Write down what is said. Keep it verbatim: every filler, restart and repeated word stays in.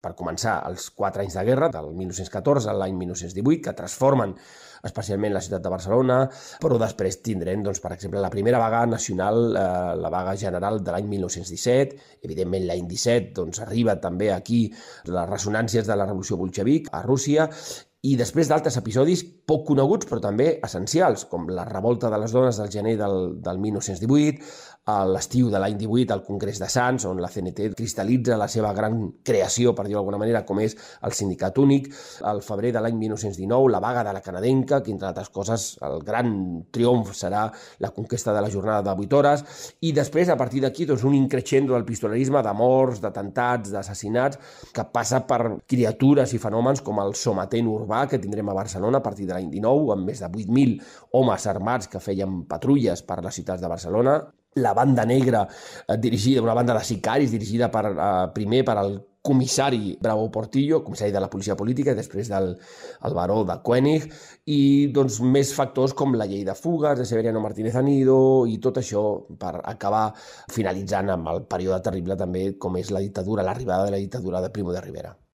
per començar, els quatre anys de guerra, del mil nou-cents catorze a l'any mil nou-cents divuit, que transformen especialment la ciutat de Barcelona, però després tindrem, doncs, per exemple, la primera vaga nacional, eh, la vaga general de l'any mil nou-cents disset, evidentment l'any disset doncs, arriba també aquí les ressonàncies de la revolució bolxevic a Rússia, i després d'altres episodis poc coneguts però també essencials, com la revolta de les dones del gener del, del mil nou-cents divuit, l'estiu de l'any divuit al Congrés de Sants, on la C N T cristal·litza la seva gran creació, per dir-ho d'alguna manera, com és el sindicat únic, al febrer de l'any mil nou-cents dinou, la vaga de la canadenca, que entre altres coses el gran triomf serà la conquesta de la jornada de vuit hores, i després, a partir d'aquí, doncs, un increixendo del pistolerisme, de morts, d'atentats, d'assassinats, que passa per criatures i fenòmens com el sometent urbà que tindrem a Barcelona a partir de l'any dinou, amb més de vuit mil homes armats que feien patrulles per les ciutats de Barcelona, la banda negra eh, dirigida, una banda de sicaris dirigida per, eh, primer per al comissari Bravo Portillo, comissari de la policia política, i després del el baró de Koenig, i doncs, més factors com la llei de fugues de Severiano Martínez Anido, i tot això per acabar finalitzant amb el període terrible també com és la dictadura, l'arribada de la dictadura de Primo de Rivera.